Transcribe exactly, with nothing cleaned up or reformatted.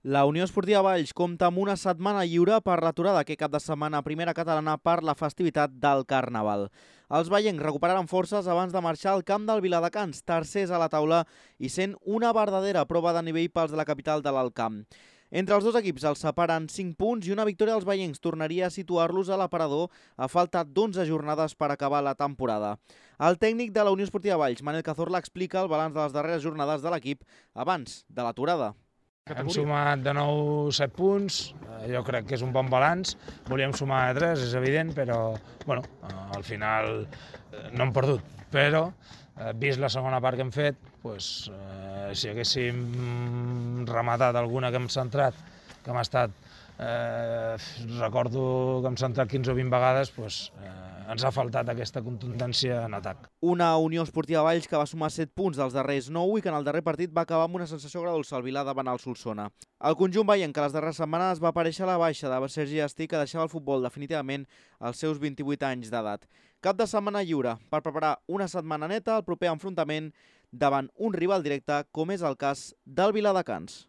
La Unió Esportiva Valls compta amb una setmana lliure per l'aturada aquest cap de setmana a primera catalana per la festivitat del Carnaval. Els vallencs recuperaran forces abans de marxar al camp del Viladecans, tercers a la taula i sent una verdadera prova de nivell pels de la capital de l'Alt Camp. Entre els dos equips els separen cinc punts i una victòria dels vallencs tornaria a situar-los a l'aparador a falta d'onze jornades per acabar la temporada. El tècnic de la Unió Esportiva Valls, Manel Cazorla, explica el balanç de les darreres jornades de l'equip abans de l'aturada. Hem sumat de nou set punts, jo crec que és un bon balanç, volíem sumar tres, és evident, però bueno, al final no hem perdut. Però, vist la segona part que hem fet, doncs, eh, si haguéssim rematat alguna que hem centrat, que hem estat, eh, recordo que hem centrat quinze o vint vegades, doncs, eh, ens ha faltat aquesta contundència en atac. Una Unió Esportiva Valls que va sumar set punts dels darrers nou i que en el darrer partit va acabar amb una sensació agradolça al Vilar davant el Solsona. El conjunt veient que les darreres setmanes va aparèixer a la baixa de Sergi Asti, que deixava el futbol definitivament als seus vint-i-vuit anys d'edat. Cap de setmana lliure per preparar una setmana neta al proper enfrontament davant un rival directe com és el cas del Viladecans.